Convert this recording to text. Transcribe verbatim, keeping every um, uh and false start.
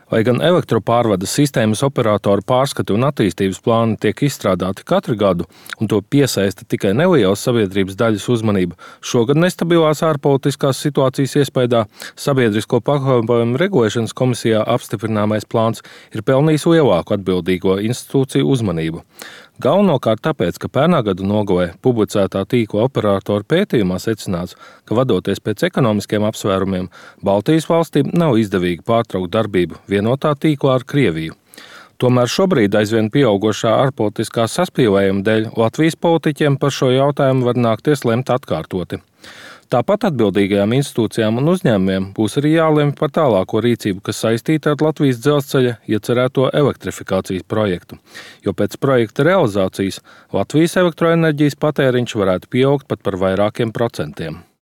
Lai gan elektropārvades sistēmas operatoru pārskati un attīstības plāni tiek izstrādāti katru gadu, un to piesaista tikai nelielas sabiedrības daļas uzmanība, šogad nestabilās ārpolitiskās situācijas iespējā Sabiedrisko pakalpojumu regulēšanas komisijā apstiprināmais plāns ir pelnījis lielāku atbildīgo institūciju uzmanību. Galvenokārt tāpēc, ka pērnā gada nogalē publicētā tīkla operatoru pētījumā secināts, ka vadoties pēc ekonomiskiem apsvērumiem, Baltijas valstīm nav izdevīgi pārtraukt darbību vienotā tīklā ar Krieviju. Tomēr šobrīd aizvien pieaugošā ārpolitiskā saspīlējuma dēļ Latvijas politiķiem par šo jautājumu var nākties lemt atkārtoti. Tāpat atbildīgajām institūcijām un uzņēmumiem būs arī jālemj par tālāko rīcību, kas saistīta ar Latvijas dzelzceļa iecerēto elektrifikācijas projektu, jo pēc projekta realizācijas Latvijas elektroenerģijas patēriņš varētu pieaugt pat par vairākiem procentiem.